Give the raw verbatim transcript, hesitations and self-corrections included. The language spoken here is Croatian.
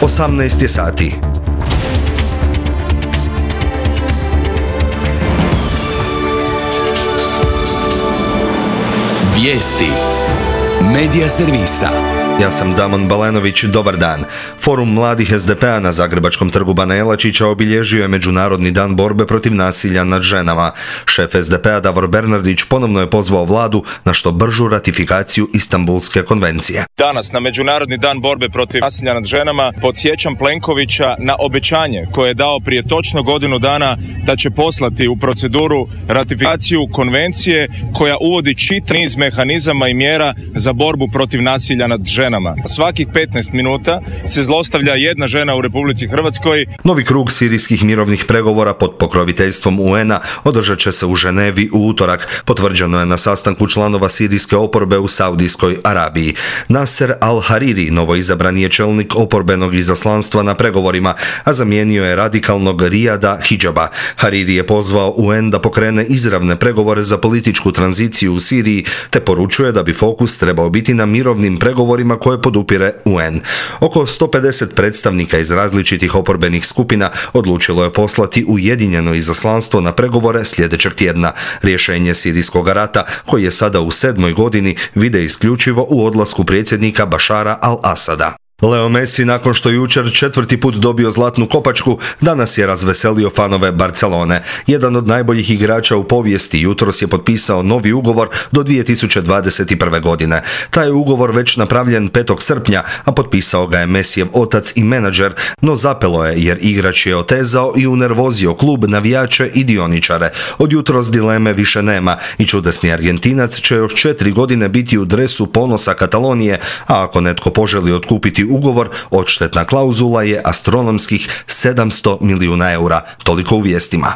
osamnaest je sati. Vijesti Medija servisa. Ja sam Damon Balenović, dobar dan. Forum mladih es de pe a na Zagrebačkom trgu Bana Jelačića obilježio je Međunarodni dan borbe protiv nasilja nad ženama. Šef es de pe a Davor Bernardić ponovno je pozvao vladu na što bržu ratifikaciju Istanbulske konvencije. Danas, na Međunarodni dan borbe protiv nasilja nad ženama, podsjećam Plenkovića na obećanje koje je dao prije točno godinu dana da će poslati u proceduru ratifikaciju konvencije koja uvodi čitav niz mehanizama i mjera za borbu protiv nasilja nad ženama. Svakih petnaest minuta se zlostavlja jedna žena u Republici Hrvatskoj. Novi krug sirijskih mirovnih pregovora pod pokroviteljstvom u en a održat će se u Ženevi u utorak, potvrđeno je na sastanku članova sirijske oporbe u Saudijskoj Arabiji. Nasser al-Hariri, novoizabrani je čelnik oporbenog izaslanstva na pregovorima, a zamijenio je radikalnog Rijada Hidžaba. Hariri je pozvao u en da pokrene izravne pregovore za političku tranziciju u Siriji, te poručuje da bi fokus trebao biti na mirovnim pregovorima koje podupire u en. Oko sto pedeset predstavnika iz različitih oporbenih skupina odlučilo je poslati ujedinjeno izaslanstvo na pregovore sljedećeg tjedna. Rješenje sirijskog rata, koji je sada u sedmoj godini, vide isključivo u odlasku predsjednika Bašara al-Asada. Leo Messi, nakon što jučer četvrti put dobio zlatnu kopačku, danas je razveselio fanove Barcelone. Jedan od najboljih igrača u povijesti jutros je potpisao novi ugovor do dvije tisuće dvadeset prve. godine. Taj je ugovor već napravljen petog srpnja, a potpisao ga je Messijev otac i menadžer, no zapelo je jer igrač je otezao i unervozio klub, navijače i dioničare. Od jutros dileme više nema i čudesni Argentinac će još četiri godine biti u dresu ponosa Katalonije, a ako netko poželi otkupiti ugovor, odštetna klauzula je astronomskih sedamsto milijuna eura. Toliko u vijestima.